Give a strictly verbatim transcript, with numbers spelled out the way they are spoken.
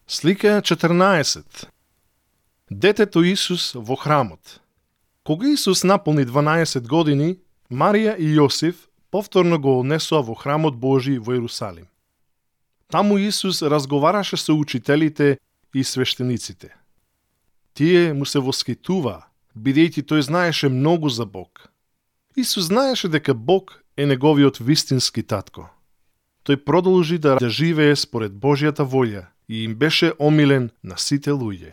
Слика четрнаесет. Детето Исус во храмот. Кога Исус наполни дванаесет години, Марија и Јосиф повторно го однесоа во храмот Божи во Ерусалим. Таму Исус разговараше со учителите и свештениците. Тие му се воскитуваа, бидејќи тој знаеше многу за Бог. Исус знаеше дека Бог е неговиот вистински татко. Тој продолжи да живее според Божјата волја и им беше омилен на сите луѓе.